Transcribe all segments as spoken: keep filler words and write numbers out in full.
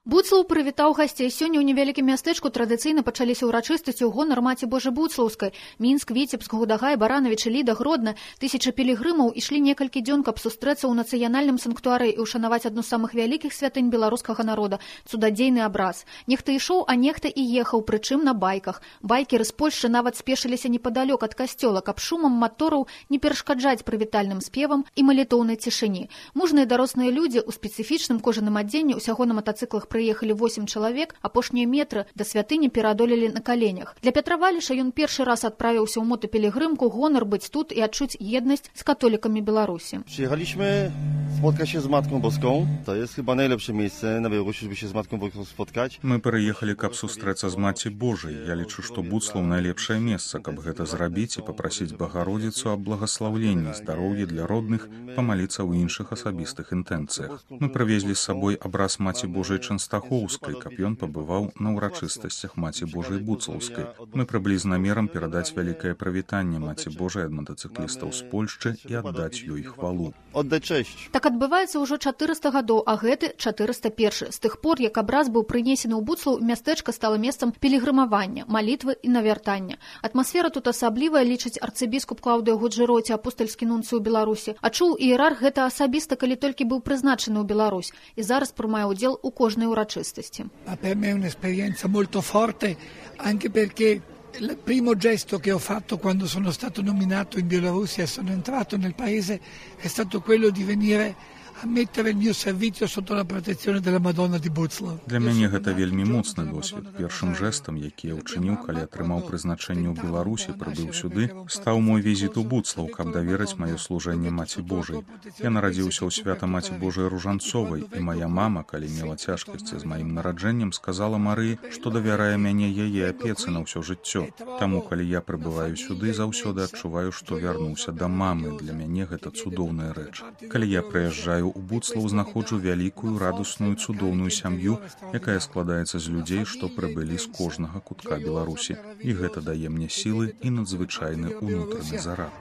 Буцлаў прывітаў гасцей. Сёння ў невялікім мястэчку традыцыйна пачаліся ўрачыстасці ў гонар маці Божай Буцлаўскай. Мінск, Віцебск, Гудагай, Баранавіч, Ліда, Гродна. Тысячы пілігрымаў ішлі некалькі дзён, каб сустрэцца ў нацыянальным санктуары і ўшанаваць адну з самых вялікіх святынь беларускага народа – цудадзейны абраз. Нехта ішоў, а нехта і ехаў, прычым на байках. Байкеры з Польшчы нават спешыліся непадалёк ад касцёла, каб шумам матораў не перашкаджаць прывітальным спевам і малітоўнай цішыні. Мужныя дарослыя людзі ў спецыфічным кожаным адзенні ўсяго на матацыклах прыехалі восем чалавек, апошнія метры да святыні пераадолелі на каленях. Для Пятра Валіша ён першы раз адправіўся ў мотапілігрымку, гонар быць тут і адчуць еднасць з католікамі Беларусі. Przyjechaliśmy spotkać się z Matką Boską. To jest chyba najlepsze miejsce na Białorusi, żeby się z Matką Boską spotkać. Мы прыехалі, каб сустрэцца з маці Божай. Я лічу, што Буцлаў найлепшае месца, каб гэта зрабіць і папрасіць Багародзіцу аб благаслаўленні, здароўя для родных, памаліцца ў іншых асабістых інтэнцыях. Мы прывезлі з сабой абраз маці Божай Чэнстахоўскай, каб ён пабываў на ўрачыстасцях маці Божай Буцлаўскай. Мы прыблі з намерам перадаць вялікае прывітанне маці Божай ад матацыклістаў з Польшчы і аддаць ёй хвалу. Oddać cześć. Так адбываецца ўжо чатырыста гадоў, а гэты чатырыста першы. З тых пор, як абраз быў прынесены ў Буцлаў, мястэчка стала месцам пілігрымавання, малітвы і навяртання. Атмасфера тут асаблівая, лічыць арцыбіскуп Клаўдыя Гуджэроці, апостальскі нунцый у Беларусі. А чуў іерарх гэта асабіста, калі толькі быў прызначаны ў Беларусь і зараз прымае ўдзел у кожнай урачыстасці. Ma per me è un'esperienza molto forte, anche perché il primo gesto che ho fatto quando sono stato nominato in Bielorussia e sono entrato nel paese è stato quello di venire a mettere il mio servizio sotto la protezione della Madonna di Buclaw. Для мяне гэта вельмі моцны досвед. Першым жэстам, які я ўчыніў, калі атрымаў прызначэнне ў Беларусі, прыбыў сюды, стаў мой візіт у Буцлаў, каб даверыць маё служэнне маці Божай. Я нарадзіўся ў свята маці Божай Ружанцовай, і моя мама, калі мела цяжкасці з маім нараджэннем, сказала Марыі, што давярае мяне яе апецы на ўсё жыццё. Таму, калі я прыбываю сюды, заўсёды адчуваю, што вярнуўся да мамы. Для мяне гэта цудоўная рэч. Калі я прыязджаю у Буцлаў, знаходжу вялікую, радасную, цудоўную сям'ю, якая складаецца з людзей, што прыбылі з кожнага кутка Беларусі. І гэта дае мне сілы і надзвычайны ўнутраны зарад.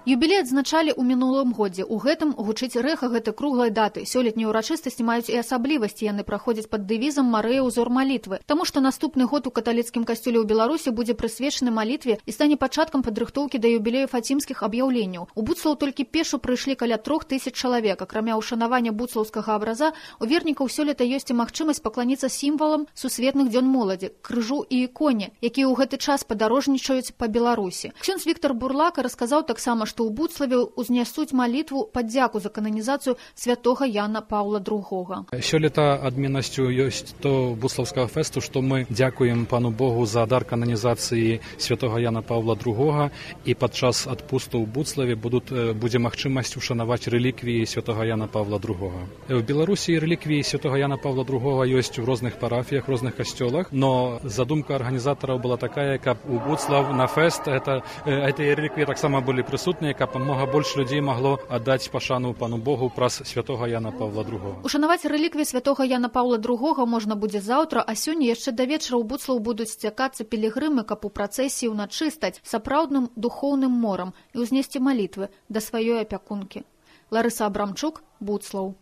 Юбілей адзначалі ў мінулым годзе. У гэтым гучыць рэха гэтай круглай даты. Сёлетнія ўрачыстасці маюць і асаблівасці. Яны праходзяць пад дэвізам «Марыя, узор малітвы». Таму што наступны год у каталіцкім касцёле ў Беларусі будзе прысвечаны малітве і стане пачаткам падрыхтоўкі да юбілею фацімскіх аб'яўленняў. У Буцлаў толькі пешу прыйшлі каля трох тысяч чалавек. Акрамя ўшанавання буцлаўскага абраза, у вернікаў сёлета ёсць і магчымасць пакланіцца сімвалам сусветных дзён моладзі, крыжу і іконе, якія ў гэты час падарожнічаюць па Беларусі. Ксёндз Віктар Бурлака расказаў таксама, што ў Буцлаве узнясуць малітву падзяку за кананізацыю святога Яна Паўла другога. Сёлета адменнасцю ёсць то буцлаўскага фесту, што мы дзякуем пану Богу за дар кананізацыі святога Яна Паўла другога, і падчас адпусту ў Буцлаве будут, будзе магчымасць ушанаваць рэліквіі святога Яна Паўла другога. В Беларусі рэліквіі святога Яна Паўла другога ёсць у розных парафіях, розных касцёлах, но задумка арганізатараў была такая, каб у Буцлаў на фест это, гэтыя рэліквіі таксама былі прысутныя, каб мага больш людзей магло аддаць пашану пану Богу праз святога Яна Паўла другога. Ушанаваць рэліквіі святога Яна Паўла другога можна будзе заўтра, а сёння яшчэ да вечара ў Буцлаў будуць сцякацца пілігрымы, каб у працэсіі ўначы стаць сапраўдным духоўным морам і ўзнесці малітвы да сваёй апякункі. Ларыса Абрамчук, Буцлаў.